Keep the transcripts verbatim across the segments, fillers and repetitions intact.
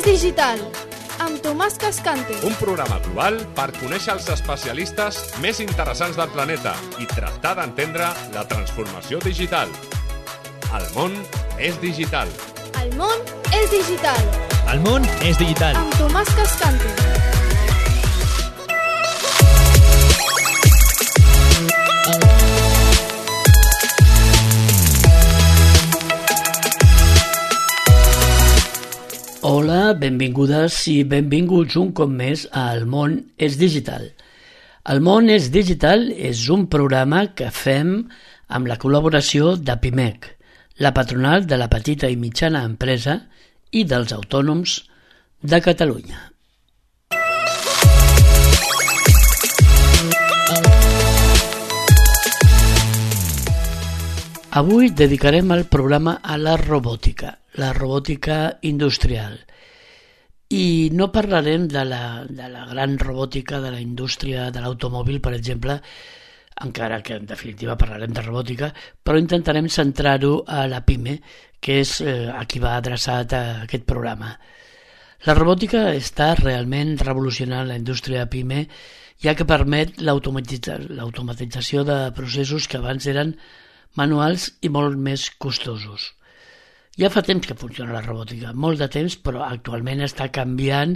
digital, amb Tomàs Cascante. Un programa global per conèixer els especialistes més interessants del planeta i tractar d'entendre la transformació digital. El món és digital. El món és digital. El món és digital. Amb Tomàs Cascante. Hola, benvingudes i benvinguts un cop més a El món és digital. El món és digital és un programa que fem amb la col·laboració de Pimec, la patronal de la petita i mitjana empresa i dels autònoms de Catalunya. Avui dedicarem el programa a la robòtica, la robòtica industrial. I no parlarem de la, de la gran robòtica de la indústria de l'automòbil, per exemple, encara que en definitiva parlarem de robòtica, però intentarem centrar-ho a la PIME, que és eh, a qui va adreçat a aquest programa. La robòtica està realment revolucionant la indústria PIME, ja que permet l'automatitza- l'automatització de processos que abans eren manuals i molt més costosos. Ja fa temps que funciona la robòtica, molt de temps, però actualment està canviant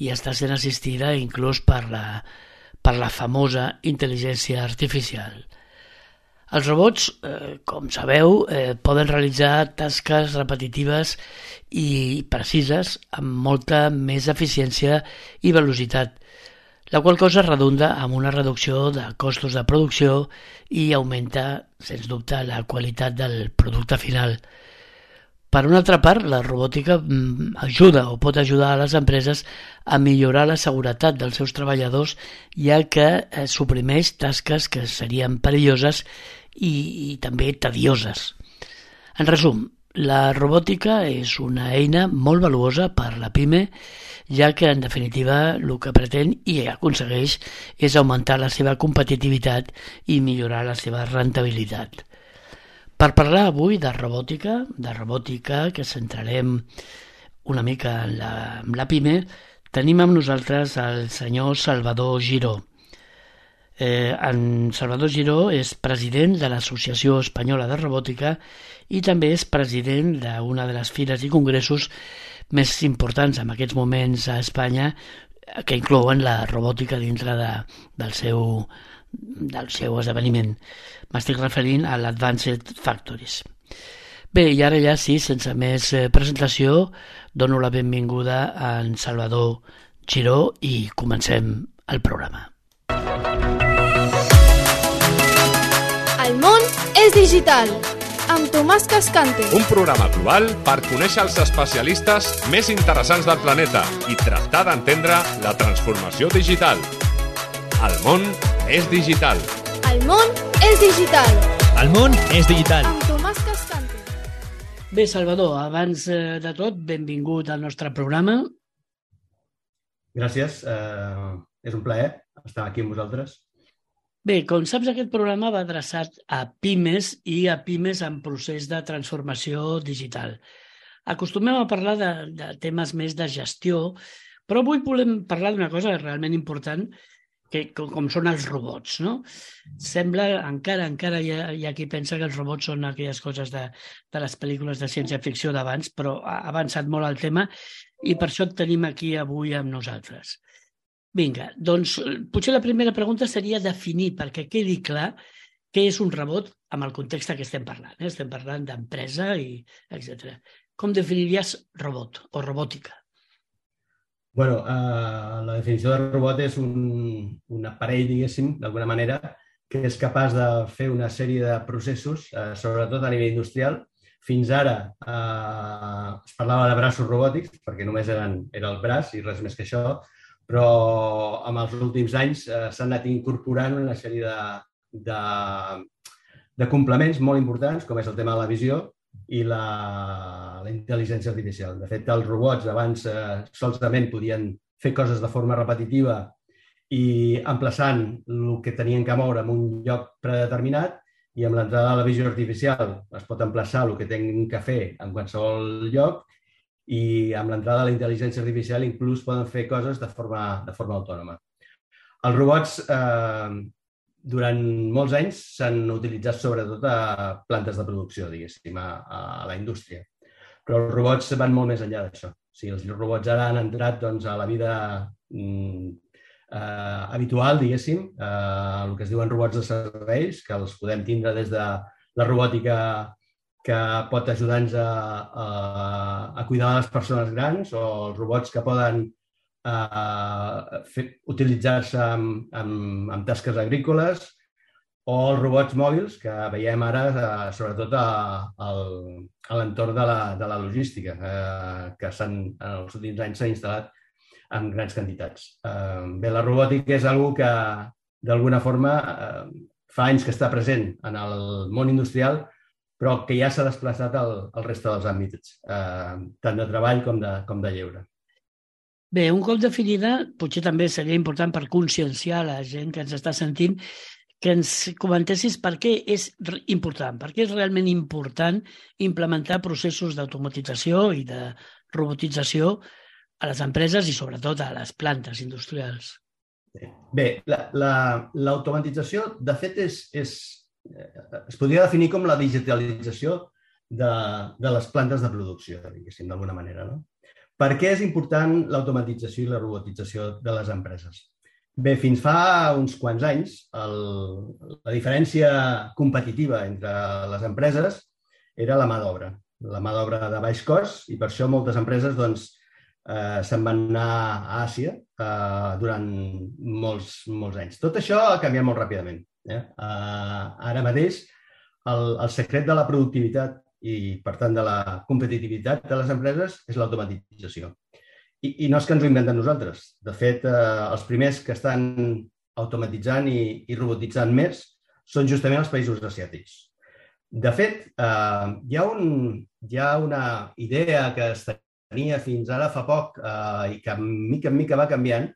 i està sent assistida inclús per la, per la famosa intel·ligència artificial. Els robots, eh, com sabeu, eh, poden realitzar tasques repetitives i precises amb molta més eficiència i velocitat, la qual cosa redunda en una reducció de costos de producció i augmenta, sens dubte, la qualitat del producte final. Per una altra part, la robòtica ajuda o pot ajudar a les empreses a millorar la seguretat dels seus treballadors, ja que suprimeix tasques que serien perilloses i, i també tedioses. En resum, la robòtica és una eina molt valuosa per la PIME, ja que en definitiva el que pretén i aconsegueix és augmentar la seva competitivitat i millorar la seva rendibilitat. Per parlar avui de robòtica, de robòtica que centrarem una mica en la, en la PIME, tenim amb nosaltres el senyor Salvador Giró. Eh, en Salvador Giró és president de l'Associació Espanyola de Robòtica i també és president d'una de les fires i congressos més importants en aquests moments a Espanya, que inclouen la robòtica dintre de, del, seu, del seu esdeveniment. M'estic referint a l'Advanced Factories. Bé, i ara ja sí, sense més presentació, dono la benvinguda a en Salvador Giró i comencem el programa. El món és digital, amb Tomàs Cascante. Un programa global per conèixer els especialistes més interessants del planeta i tractar d'entendre la transformació digital. El món és digital. El món és digital. El món és digital. Amb Tomàs Cascante. Bé, Salvador, abans de tot, benvingut al nostre programa. Gràcies, eh, és un plaer estar aquí amb vosaltres. Bé, com saps, aquest programa va adreçat a pimes i a pimes en procés de transformació digital. Acostumem a parlar de, de temes més de gestió, però avui volem parlar d'una cosa realment important, que, com, com són els robots, no? Sembla, encara encara hi ha, hi ha qui pensa que els robots són aquelles coses de, de les pel·lícules de ciència-ficció d'abans, però ha avançat molt el tema i per això et tenim aquí avui amb nosaltres. Vinga, doncs potser la primera pregunta seria definir, perquè quedi clar, què és un robot amb el context que estem parlant. Eh? Estem parlant d'empresa i etcètera. Com definiries robot o robòtica? Bueno, eh, la definició de robot és un, un aparell, diguéssim, d'alguna manera, que és capaç de fer una sèrie de processos, eh, sobretot a nivell industrial. Fins ara eh, es parlava de braços robòtics, perquè només eren, era el braç i res més que això, però en els últims anys eh, s'han anat incorporant una sèrie de, de, de complements molt importants, com és el tema de la visió i la, la intel·ligència artificial. De fet, els robots abans eh, solament podien fer coses de forma repetitiva i emplaçant el que tenien que moure en un lloc predeterminat, i amb l'entrada de la visió artificial es pot emplaçar el que tenen que fer en qualsevol lloc i amb l'entrada de la intel·ligència artificial inclús poden fer coses de forma, de forma autònoma. Els robots eh, durant molts anys s'han utilitzat sobretot a plantes de producció, diguéssim, a, a la indústria. Però els robots van molt més enllà d'això. O sigui, els robots ara han entrat doncs, a la vida mm, eh, habitual, diguéssim, eh, el que es diuen robots de serveis, que els podem tindre des de la robòtica que pot ajudar-nos a, a, a cuidar de les persones grans, o els robots que poden eh, fer, utilitzar-se amb, amb, amb tasques agrícoles, o els robots mòbils que veiem ara, eh, sobretot a, a, a l'entorn de, la, de la logística, eh, que s'han, en els últims anys s'ha instal·lat en grans quantitats. Eh, bé, la robòtica és una que, d'alguna forma, eh, fa anys que està present en el món industrial, però que ja s'ha desplaçat al, al reste dels àmbits, eh, tant de treball com de, com de lleure. Bé, un cop definida, potser també seria important per conscienciar la gent que ens està sentint, que ens comentessis per què és important, per què és realment important implementar processos d'automatització i de robotització a les empreses i sobretot a les plantes industrials. Bé, l'automatització, la, de fet, és, és, es podria definir com la digitalització de, de les plantes de producció, diguéssim, d'alguna manera, no? Per què és important l'automatització i la robotització de les empreses? Bé, fins fa uns quants anys, el, la diferència competitiva entre les empreses era la mà d'obra. La mà d'obra de baix cost, i per això moltes empreses doncs, eh, se'n van anar a Àsia eh, durant molts, molts anys. Tot això ha canviat molt ràpidament. Eh? Eh, ara mateix, el, el secret de la productivitat i, per tant, de la competitivitat de les empreses és l'automatització. I, I no és que ens ho inventem nosaltres. De fet, eh, els primers que estan automatitzant i, i robotitzant més són justament els països asiàtics. De fet, eh, hi, ha un, hi ha una idea que es tenia fins ara fa poc eh, i que mica en mica va canviant,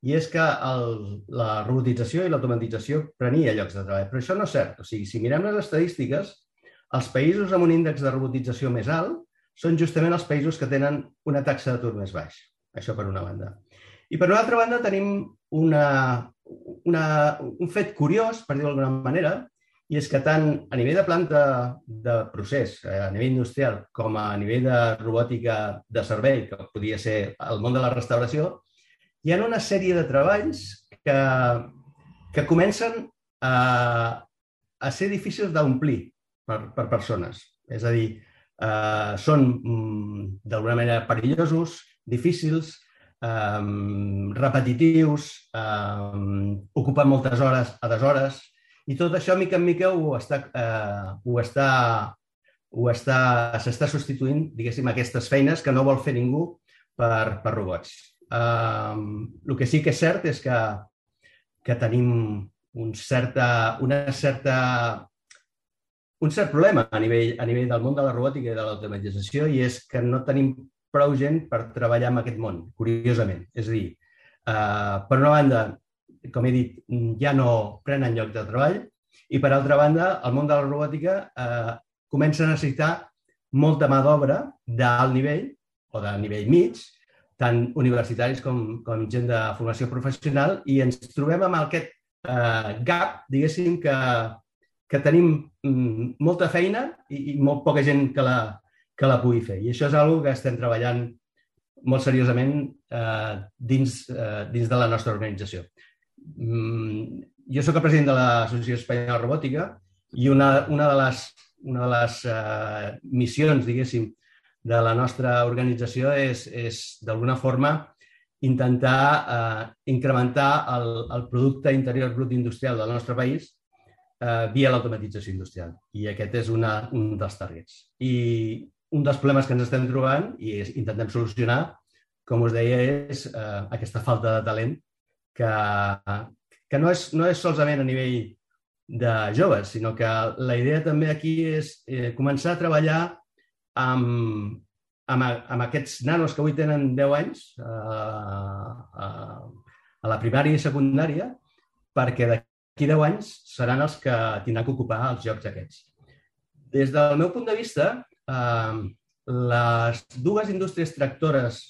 i és que el, la robotització i l'automatització prenia llocs de treball. Però això no és cert. O sigui, si mirem les estadístiques, els països amb un índex de robotització més alt són justament els països que tenen una taxa d'atur més baix. Això per una banda. I per una altra banda tenim una, una, un fet curiós, per dir-ho d'alguna manera, i és que tant a nivell de planta de procés, a nivell industrial, com a nivell de robòtica de servei, que podria ser el món de la restauració, hi ha una sèrie de treballs que, que comencen a, a ser difícils d'omplir per, per persones. És a dir, eh, són d'alguna manera perillosos, difícils, eh, repetitius, eh, ocupen moltes hores a deshores, i tot això, mica en mica, ho està, eh, ho està, ho està, s'està substituint, diguéssim, aquestes feines que no vol fer ningú per, per robots. Uh, el que sí que és cert és que, que tenim un, certa, una certa, un cert problema a nivell, a nivell del món de la robòtica i de l'automatització, i és que no tenim prou gent per treballar en aquest món, curiosament. És a dir, uh, per una banda, com he dit, ja no prenen lloc de treball, i per altra banda, el món de la robòtica uh, comença a necessitar molta mà d'obra d'alt nivell o de nivell mig, tant universitaris com, com gent de formació professional, i ens trobem amb aquest eh, gap, diguéssim, que, que tenim mm, molta feina i, i molt poca gent que la, que la pugui fer. I això és una cosa que estem treballant molt seriosament eh, dins, eh, dins de la nostra organització. Mm, jo soc el president de l'Associació Espanyola de Robòtica, i una, una de les, una de les eh, missions, diguéssim, de la nostra organització és, és d'alguna forma, intentar eh, incrementar el, el producte interior brut industrial del nostre país eh, via l'automatització industrial. I aquest és una, un dels targets. I un dels problemes que ens estem trobant i és, intentem solucionar, com us deia, és eh, aquesta falta de talent que, que no, és, no és solament a nivell de joves, sinó que la idea també aquí és eh, començar a treballar Amb, amb, amb aquests nanos que avui tenen deu anys a, a, a la primària i secundària, perquè d'aquí deu anys seran els que tindran que ocupar els llocs aquests. Des del meu punt de vista, eh, les dues indústries tractores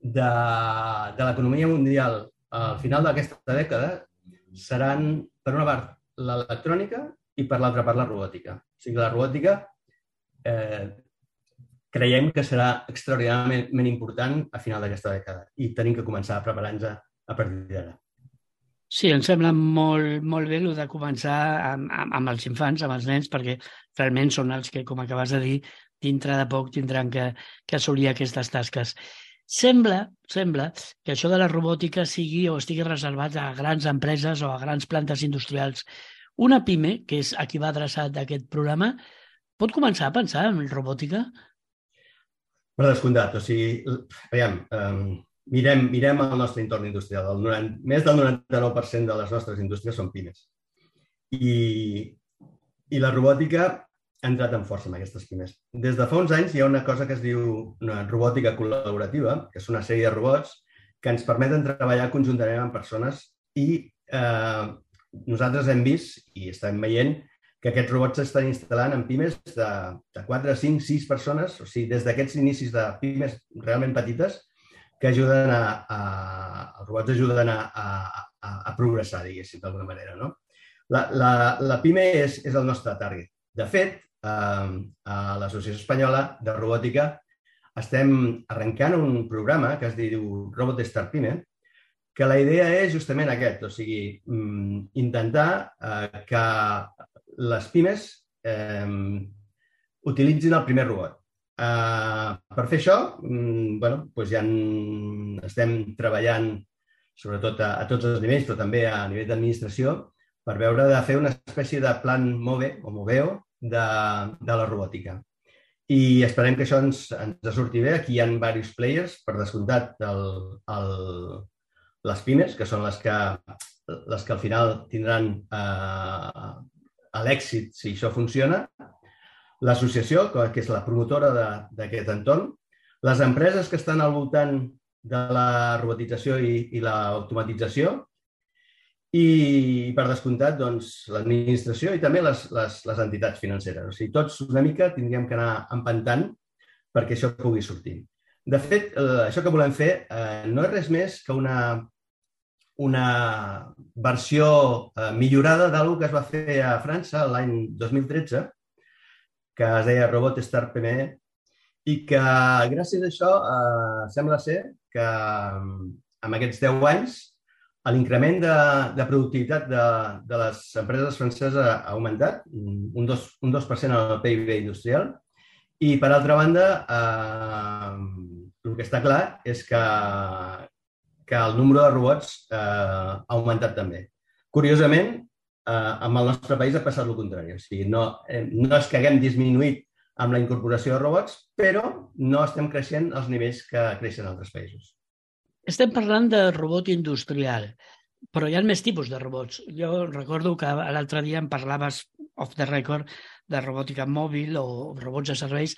de, de l'economia mundial al final d'aquesta dècada seran, per una part, l'electrònica i per l'altra part, la robòtica. O sigui, la robòtica eh, creiem que serà extraordinàriament important a final d'aquesta dècada i tenim que començar a preparar-nos a partir d'ara. Sí, em sembla molt, molt bé el de començar amb, amb, amb els infants, amb els nens, perquè realment són els que, com acabes de dir, dintre de poc tindran que, que assolir aquestes tasques. Sembla, sembla que això de la robòtica sigui o estigui reservat a grans empreses o a grans plantes industrials. Una pime, que és a qui va adreçat aquest programa, pot començar a pensar en robòtica? Per descomptat, o sigui, veiem, um, mirem, mirem el nostre entorn industrial. El noranta, més del noranta-nou per cent de les nostres indústries són pimes. I, i la robòtica ha entrat en força en aquestes pimes. Des de fa uns anys hi ha una cosa que es diu una robòtica col·laborativa, que és una sèrie de robots que ens permeten treballar conjuntament amb persones i eh, nosaltres hem vist i estem veient que aquests robots s'estan instal·lant en pimes de, de quatre, cinc, sis persones, o sigui, des d'aquests inicis de pimes realment petites que ajuden a, a els robots ajuden a, a, a, a progressar, diguéssim, d'alguna manera, no? La, la, la pime és, és el nostre target. De fet, eh, a l'Associació Espanyola de Robòtica estem arrencant un programa que es diu Robot Start Pime, que la idea és justament aquest, o sigui, intentar eh, que les pimes eh, utilitzin el primer robot. Uh, per fer això, um, bueno, doncs ja estem treballant sobretot a, a tots els nivells, però també a nivell d'administració, per veure de fer una espècie de plan MOVE o MOVEO de, de la robòtica. I esperem que això ens, ens surti bé. Aquí hi ha diversos players, per descomptat, el, el, les pimes, que són les que, les que al final tindran uh, l'èxit si això funciona, l'associació, que és la promotora d'aquest entorn, les empreses que estan al voltant de la robotització i, i l'automatització i, per descomptat, doncs, l'administració i també les, les, les entitats financeres. O sigui, tots una mica tindríem que anar empantant perquè això pugui sortir. De fet, eh, això que volem fer eh, no és res més que una, una versió eh, millorada d'alguna que es va fer a França l'any dos mil tretze, que es deia Robot Start Pime, i que gràcies a això eh, sembla ser que en aquests deu anys l'increment de, de productivitat de, de les empreses franceses ha augmentat un dos, un dos per cent en el P I B industrial i, per altra banda, eh, el que està clar és que, que el nombre de robots eh, ha augmentat també. Curiosament, Uh, amb el nostre país ha passat el contrari. O sigui, no, eh, no és que haguem disminuït amb la incorporació de robots, però no estem creixent als nivells que creixen en altres països. Estem parlant de robot industrial, però hi ha més tipus de robots. Jo recordo que l'altre dia em parlaves off the record de robòtica mòbil o robots de serveis.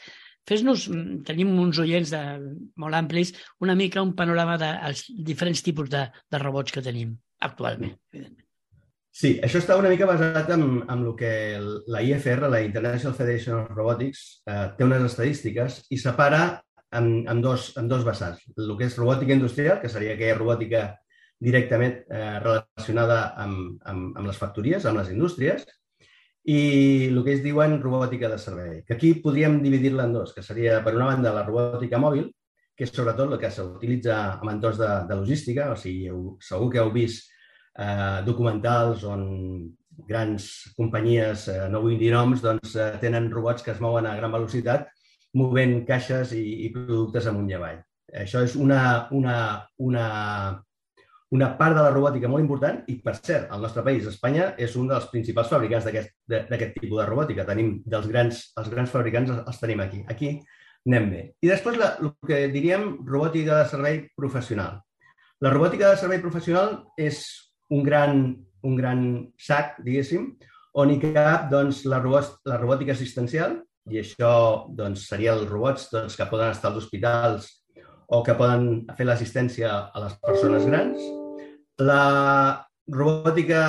Fes-nos, tenim uns oients de, molt amplis, una mica un panorama dels diferents tipus de, de robots que tenim actualment, evidentment. Sí, això està una mica basat en, en el que la I F R, la International Federation of Robotics, eh, té unes estadístiques i separa en, en, dos, en dos vessants. El que és robòtica industrial, que seria aquella robòtica directament eh, relacionada amb, amb, amb les factories, amb les indústries, i el que es diuen robòtica de servei, que aquí podríem dividir-la en dos, que seria, per una banda, la robòtica mòbil, que és sobretot el que s'utilitza en entorns de, de logística, o sigui, segur que heu vist Eh, documentals on grans companyies, eh, no vull dir noms, doncs, eh, tenen robots que es mouen a gran velocitat movent caixes i, i productes amunt i avall. Això és una, una, una, una part de la robòtica molt important i, per cert, el nostre país, Espanya, és un dels principals fabricants d'aquest tipus de robòtica. Tenim dels grans, els grans fabricants els tenim aquí. Aquí anem bé. I després la, el que diríem robòtica de servei professional. La robòtica de servei professional és un gran, un gran sac, diguéssim, on hi cap doncs, la, robot, la robòtica assistencial, i això doncs, serien els robots doncs, que poden estar als hospitals o que poden fer l'assistència a les persones grans. La robòtica,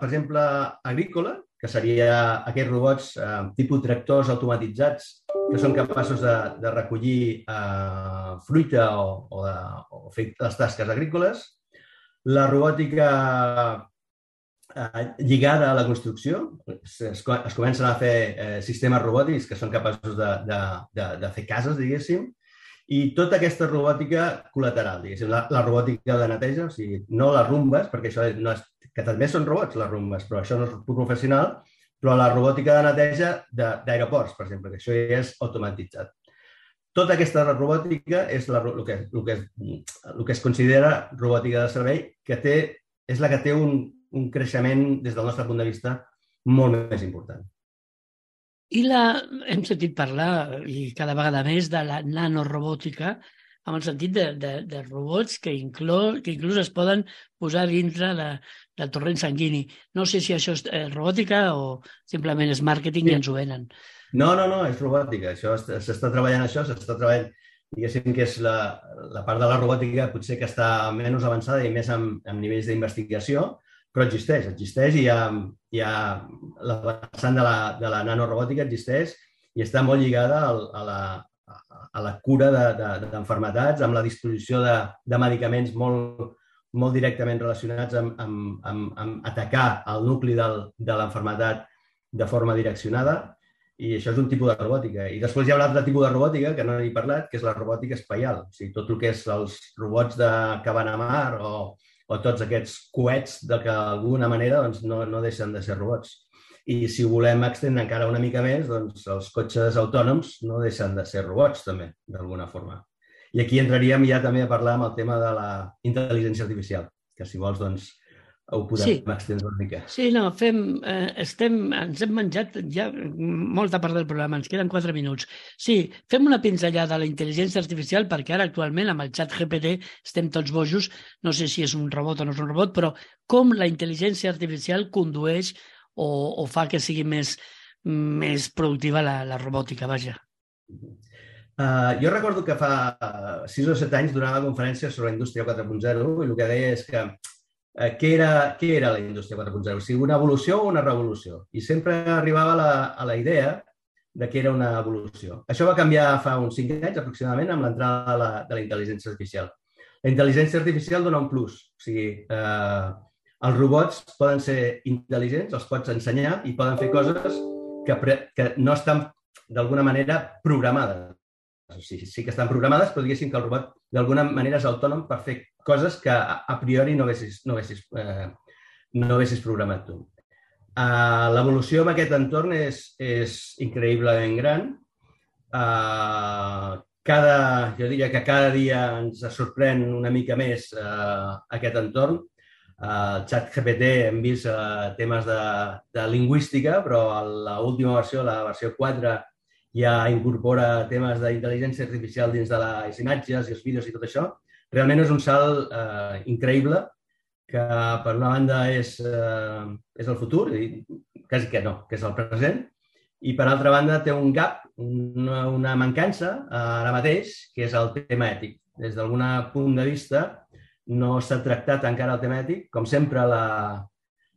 per exemple, agrícola, que seria aquests robots eh, tipus tractors automatitzats que són capaços de, de recollir eh, fruita o, o, de, o fer les tasques agrícoles. La robòtica eh, lligada a la construcció. Es, es, es comencen a fer eh, sistemes robòtics que són capaços de, de, de, de fer cases, diguéssim. I tota aquesta robòtica col·lateral, diguéssim, la, la robòtica de neteja, o sigui, no les rumbes, perquè això no és, que també són robots, les rumbes, però això no és professional, però la robòtica de neteja d'aeroports, per exemple, que això ja és automatitzat. Tota aquesta robòtica és la, el, que, el, que, el que es considera robòtica de servei, que té, és la que té un, un creixement, des del nostre punt de vista, molt més important. I la, hem sentit parlar, i cada vegada més, de la nanorobòtica, en el sentit de, de, de robots que, inclou, que inclús es poden posar dintre de, del torrent sanguini. No sé si això és robòtica o simplement és màrqueting sí. I ens ho venen. No, no, no, és robòtica. Això s'està treballant això, s'està treballant, diguéssim que és la, la part de la robòtica potser que està menys avançada i més en, en nivells d'investigació, però existeix, existeix i hi ha, hi ha la vessant de la, de la nanorobòtica existeix i està molt lligada al, a, la, a la cura d'enfermetats, de, de, amb la disposició de, de medicaments molt, molt directament relacionats amb, amb, amb, amb atacar el nucli del, de l'enfermetat de forma direccionada, i això és un tipus de robòtica. I després hi ha un altre tipus de robòtica que no he parlat, que és la robòtica espaial. O sigui, tot el que és els robots de, que van a mar o o tots aquests coets de que d'alguna manera doncs, no, no deixen de ser robots. I si volem extendre encara una mica més, doncs els cotxes autònoms no deixen de ser robots també, d'alguna forma. I aquí entraríem ja també a parlar amb el tema de la intel·ligència artificial, que si vols doncs ho podem sí. extendre una mica. Sí, no, fem, eh, estem, ens hem menjat ja molta part del programa, ens queden quatre minuts. Sí, fem una pinzellada a la intel·ligència artificial perquè ara actualment amb el xat G P T estem tots bojos, no sé si és un robot o no és un robot, però com la intel·ligència artificial condueix o, o fa que sigui més, més productiva la, la robòtica, vaja. Uh, jo recordo que fa sis o set anys donava conferències sobre la indústria quatre punt zero i el que deia és que Uh, què, era, què era la indústria quatre punt zero? O sigui, una evolució o una revolució? I sempre arribava a la, a la idea de que era una evolució. Això va canviar fa uns cinc anys aproximadament amb l'entrada de, la, de la intel·ligència artificial. La intel·ligència artificial dona un plus. O sigui, eh, els robots poden ser intel·ligents, els pots ensenyar i poden fer coses que, pre, que no estan d'alguna manera programades. O sigui, sí que estan programades, però diguéssim que el robot d'alguna manera és autònom per fer coses que a priori no haguessis, no haguessis, eh, no haguessis programat tu. Uh, L'evolució en aquest entorn és, és increïblement gran. Uh, cada, jo diria que cada dia ens sorprèn una mica més uh, aquest entorn. Uh, el xat G P T hem vist uh, temes de, de lingüística, però a l'última versió, la versió quatre, ja incorpora temes d'intel·ligència artificial dins de les imatges i els vídeos i tot això. Realment és un salt eh, increïble que, per una banda, és, eh, és el futur, i quasi que no, que és el present, i, per altra banda, té un gap, una, una mancança eh, ara mateix, que és el tema ètic. Des d'algun punt de vista, no s'ha tractat encara el tema ètic. Com sempre, la,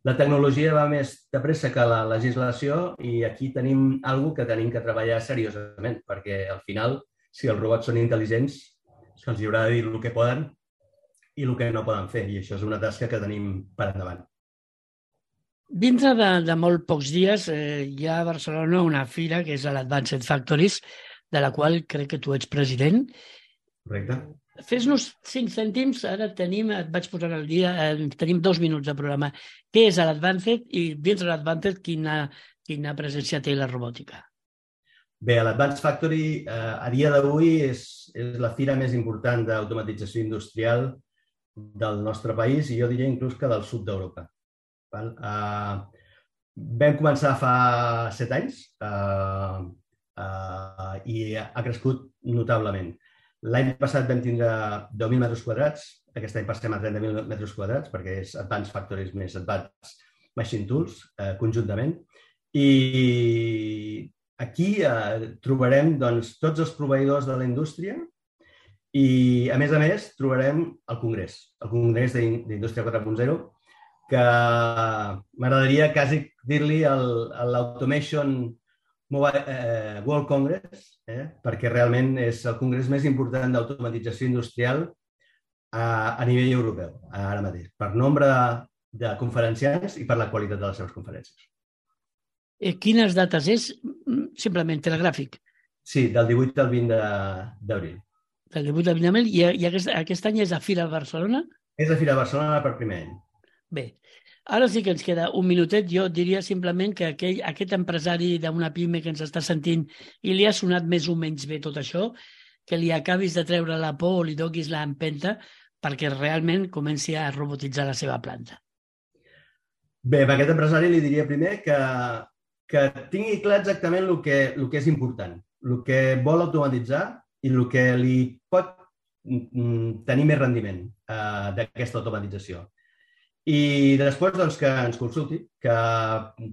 la tecnologia va més de pressa que la legislació i aquí tenim alguna que tenim que treballar seriosament, perquè, al final, si els robots són intel·ligents, se'ls haurà de dir el que poden i el que no poden fer, i això és una tasca que tenim per endavant. Dintre de, de molt pocs dies eh, hi ha a Barcelona una fira que és l'Advanced Factories, de la qual crec que tu ets president. Correcte. Fes-nos cinc cèntims, ara tenim, et vaig posar al dia, eh, tenim dos minuts de programa. Què és l'Advanced i dins de l'Advanced quina, quina presència té la robòtica? Bé, l'Advanced Factory eh, a dia d'avui és, és la fira més important d'automatització industrial del nostre país i jo diria inclús que del sud d'Europa. Eh, vam començar fa set anys eh, eh, i ha crescut notablement. L'any passat vam tindre deu mil metres quadrats, aquest any passem a trenta mil metres quadrats perquè és Advanced Factories més Advanced Machine Tools eh, conjuntament. I aquí eh, trobarem doncs, tots els proveïdors de la indústria i, a més a més, trobarem el Congrés, el Congrés d'Indústria quatre punt zero, que m'agradaria quasi dir-li l'Automation eh, World Congress, eh, perquè realment és el congrés més important d'automatització industrial a, a nivell europeu, ara mateix, per nombre de, de conferenciants i per la qualitat de les seves conferències. Eh, quines dates és? Simplement telegràfic. Sí, del divuit al vint d'abril. Del divuit al vint d'abril, i, i aquest, aquest any és a Fira Barcelona? És a Fira Barcelona per primer any. Bé, ara sí que ens queda un minutet. Jo diria simplement que aquell, aquest empresari d'una pime que ens està sentint i li ha sonat més o menys bé tot això, que li acabis de treure la por o li donis l'empenta perquè realment comenci a robotitzar la seva planta. Bé, a aquest empresari li diria primer que, que tingui clar exactament el que, el que és important, el que vol automatitzar i el que li pot tenir més rendiment eh, d'aquesta automatització. I després doncs, que ens consulti, que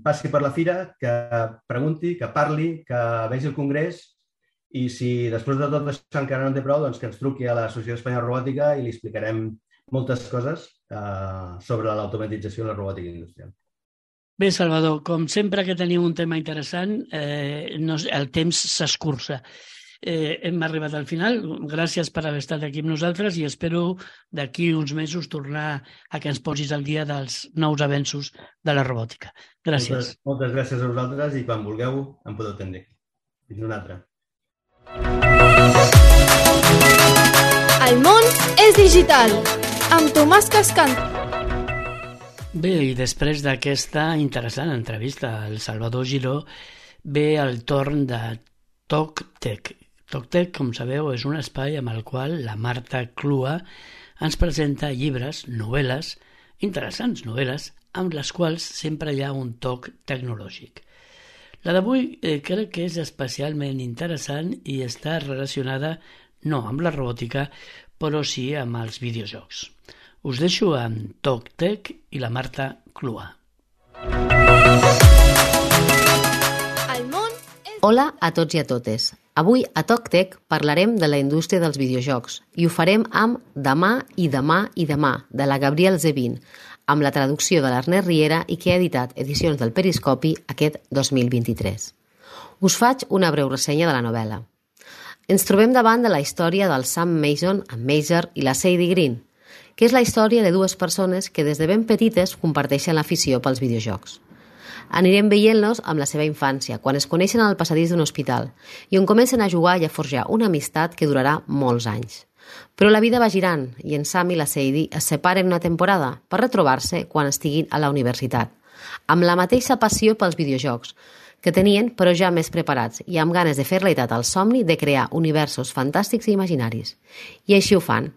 passi per la fira, que pregunti, que parli, que vegi el congrés i si després de tot això encara no en té prou, doncs que ens truqui a l'Associació Espanyola de Robòtica i li explicarem moltes coses eh, sobre l'automatització i la robòtica industrial. Bé, Salvador, com sempre que teniu un tema interessant, eh, no, el temps s'escurça. Eh, hem arribat al final. Gràcies per haver estat aquí amb nosaltres i espero d'aquí uns mesos tornar a que ens posis al dia dels nous avenços de la robòtica. Gràcies. Moltes, moltes gràcies a vosaltres i quan vulgueu em podeu atendre. Fins una altra. El món és digital, amb Tomàs Cascante. Bé, i després d'aquesta interessant entrevista al Salvador Giró, ve el torn de TalkTech. TalkTech, com sabeu, és un espai amb el qual la Marta Clua ens presenta llibres, novel·les, interessants novel·les, amb les quals sempre hi ha un toc tecnològic. La d'avui eh, crec que és especialment interessant i està relacionada no amb la robòtica, però sí amb els videojocs. Us deixo amb TalkTech i la Marta Clua. El món és... Hola a tots i a totes. Avui a TalkTech parlarem de la indústria dels videojocs i ho farem amb Demà i demà i demà, de la Gabrielle Zevin, amb la traducció de l'Ernest Riera i que ha editat Edicions del Periscopi aquest dos mil vint-i-tres. Us faig una breu ressenya de la novel·la. Ens trobem davant de la història del Sam Mason amb Major i la Sadie Green, que és la història de dues persones que des de ben petites comparteixen l'afició pels videojocs. Anirem veient-los amb la seva infància, quan es coneixen al passadís d'un hospital i on comencen a jugar i a forjar una amistat que durarà molts anys. Però la vida va girant i en Sam i la Sadie es separen una temporada per retrobar-se quan estiguin a la universitat, amb la mateixa passió pels videojocs que tenien, però ja més preparats i amb ganes de fer realitat el somni de crear universos fantàstics i imaginaris. I així ho fan.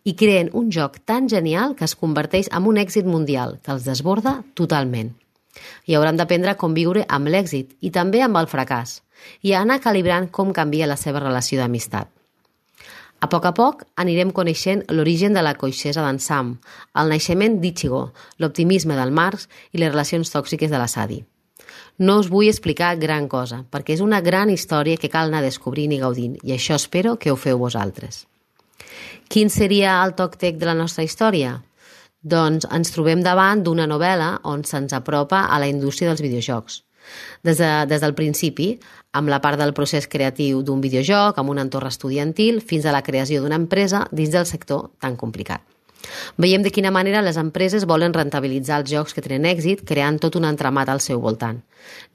I creen un joc tan genial que es converteix en un èxit mundial que els desborda totalment. I hauran d'aprendre a conviure amb l'èxit i també amb el fracàs i a anar calibrant com canvia la seva relació d'amistat. A poc a poc anirem coneixent l'origen de la coixesa d'en Sam, el naixement d'Ichigo, l'optimisme del Marx i les relacions tòxiques de la Sadie. No us vull explicar gran cosa, perquè és una gran història que cal anar descobrint i gaudint, i això espero que ho feu vosaltres. Quin seria el TalkTech de la nostra història? Doncs ens trobem davant d'una novel·la on se'ns apropa a la indústria dels videojocs. Des, de, des del principi, amb la part del procés creatiu d'un videojoc, amb un entorn estudiantil, fins a la creació d'una empresa dins del sector tan complicat. Veiem de quina manera les empreses volen rentabilitzar els jocs que tenen èxit, creant tot un entramat al seu voltant,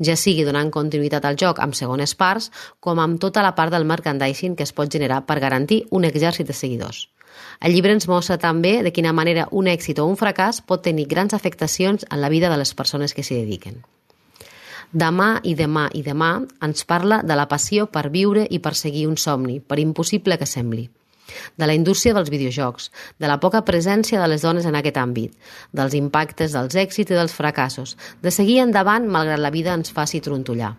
ja sigui donant continuïtat al joc amb segones parts, com amb tota la part del merchandising que es pot generar per garantir un exèrcit de seguidors. El llibre ens mostra també de quina manera un èxit o un fracàs pot tenir grans afectacions en la vida de les persones que s'hi dediquen. Demà i demà i demà ens parla de la passió per viure i perseguir un somni, per impossible que sembli. De la indústria dels videojocs, de la poca presència de les dones en aquest àmbit, dels impactes dels èxits i dels fracassos, de seguir endavant malgrat la vida ens faci trontollar.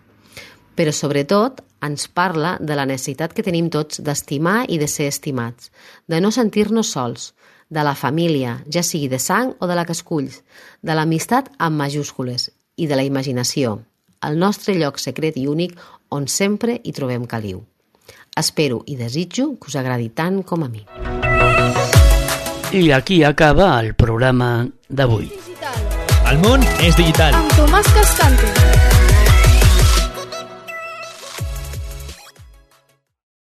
Però sobretot ens parla de la necessitat que tenim tots d'estimar i de ser estimats, de no sentir-nos sols, de la família, ja sigui de sang o de la que esculls, de l'amistat amb majúscules i de la imaginació, el nostre lloc secret i únic on sempre hi trobem caliu. Espero i desitjo que us agradi tant com a mi. I aquí acaba el programa d'avui. Digital. El món és digital. Amb Tomàs Cascante.